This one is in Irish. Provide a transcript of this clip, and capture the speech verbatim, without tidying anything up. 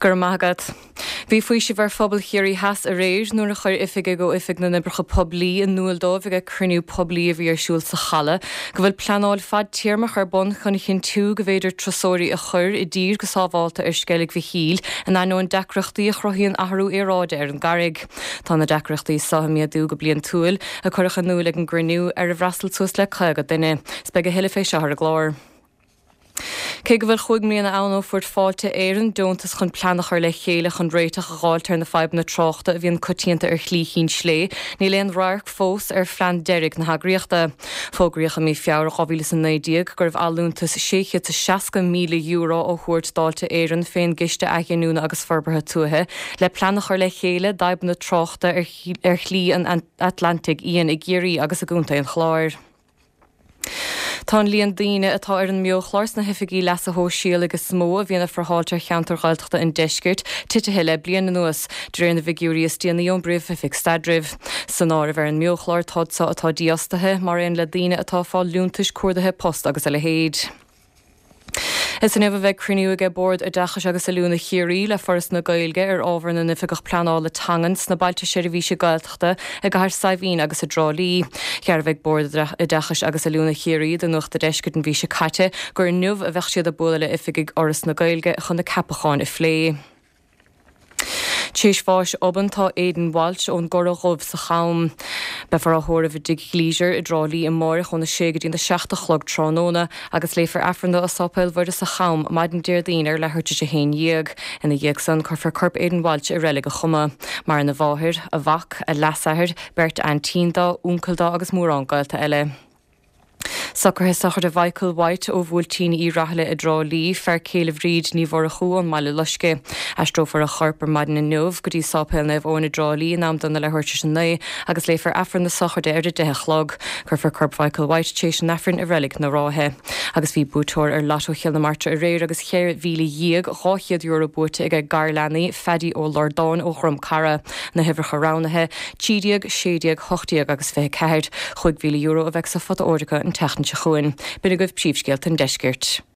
Go raibh maith agat. Bhí faoiseamh ar phobal Chiarraí Theas aréir nuair a chuir oifigigh ó Oifig na nOibreacha Poiblí in iúl dóibh ag cruinniú poiblí a bhí ar siúl sa Chaladh, go bhfuil pleanáil fadtéarmach ar bun chun a chinntiú go bhféidir turasóirí a chur i dtír go sábháilte ar Sceilg Mhichíl in ainneoin deacrachtaí a chruthaíonn athrú aeráide ar an gcarraig. Tá na deacrachtaí seo ag méadú go bliantúil a cuireadh in iúl ag an gcruinniú ar ar fhreastail suas le caoga duine. 'S beidh a thuilleadh fé seo ar an gclár. Cé go bhfuil cúig mbliana ann ó fuair Fáilte Éireann deontas chun plean a chur le chéile chun réiteach a fháilt ar na fadhbanna tráchta a bhíonn coitianta ar Shlí Chinn Slé, níl aon radharc fós ar phlean deiridh na heagraíochta. Fógraíodh i mí Feabhra dhá mhíle is a naoi déag go raibh allúntas sé chéad is seasca míle euro á thabhairt d'Fháilte Éireann fén gCiste Athghiniúna agus Forbartha Tuaithe le plean a chur le chéile d'fhadhbanna tráchta ar Shlí an Atlantaigh Fhiáin i gCiarraí agus i gContae an Chláir. Tá an líon daoine atá ar an mbeochlár sna hoifigí leasa shóisialaigh is mó a bhíonn ag friotháilt ar cheantar Ghaeltachta an deiscirt titithe le bliain anuas, de réir na bhfigiúirí is déanaí ón bPríomh-Oifig Staidrimh. San áireamh ar an mbeochlár tá iad seo atá dífhostaithe, mar aon le daoine atá ag fáil liúntais cuardaithe post agus a leithéid. Is inniu a bheidh cruinniú aige Bord Oideachais agus Oiliúna Chiarraí le Foras na Gaeilge ar ábhar na n-oifigeach pleanála teangan sna bailte seirbhíse Gaeltachta i gCathair Saidhbhín agus i dTrá Lí. Dhearbhaigh Bord Oideachais agus Oiliúna Chiarraí do Nuacht an Deiscirt an mhí seo caite gur inniu a bheadh siad ag bualadh le oifigigh Fhoras na Gaeilge chun na ceapacháin a phlé. Théis bháis obann tá Aidan Walsh ón gCora Dhubh sa Cham. Beifear á thórramh i dTigh Gleisure i dTrá Lí amárach óna sé go dtí na seacht a chlog tráthnóna agus léifear Aifreann dó i Sáipéal Mhuire sa Cham maidin Déardaoin ar leathuair tar éis a haon dhéag. Ina dhiaidh san cuirfear corp Aidan Walsh i reilig an Choma. Maireann a mháthair, a mhac, a leasathair, beirt aintín dó, uncail dó agus mórán gaolta eile. Socruithe sochraide Mhichael White ó Bhuailtín Uí Rathaille i dTrá Lí, fear céile Bhríd Ní Mhurchú ón mBaile Loiscthe. Aistreofar a chorp ar maidin inniu go dtí Sáipéal Naomh Eoin i dTrá Lí in am dona leathuair tar éis a naoi agus léifear Aifreann na sochraide ar a deich a chlog. Cuirfear corp Mhichael White tar éis an Aifrinn i reilig na Ráithe. Agus bhí buaiteoir ar Lotto Chill na Martra aréir agus ceithre mhíle dhéag dhá chéad euro buaite aige garleanaí Phaddy Ó Lordáin ó Dhrom Cara. Na huimhreacha roghnaithe, trí déag, sé déag, hocht déag agus fiche ceathair. Chúig mhíle euro a bheidh sa phota óir acu an tseachtain seo chugainn. B'in agaibh príomhscéalta an deiscirt.